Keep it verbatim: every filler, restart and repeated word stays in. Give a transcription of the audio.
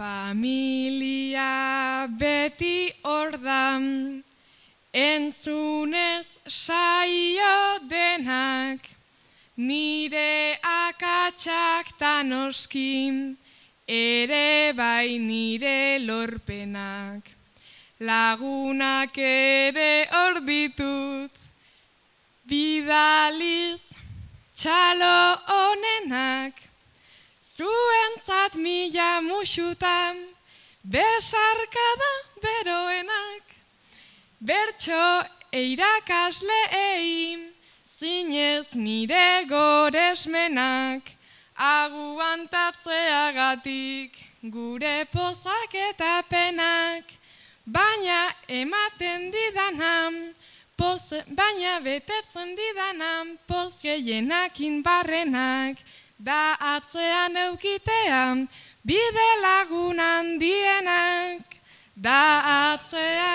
Familia beti ordan, entzunez saio denak, nire akatsak tanoskin, ere bai nire lorpenak. Lagunak ere hor ditut, bidaliz txalo onenak, zuentzat mila musutan, besarkada beroenak. Bertso eirakasleei, zinez nire goresmenak, aguantatzeagatik gure pozak eta penak, baina ematen didanan, poz, baina betetzen didanan, poz gehienakin barrenak, da atzean eukitean, bide lagun handienak, da atzean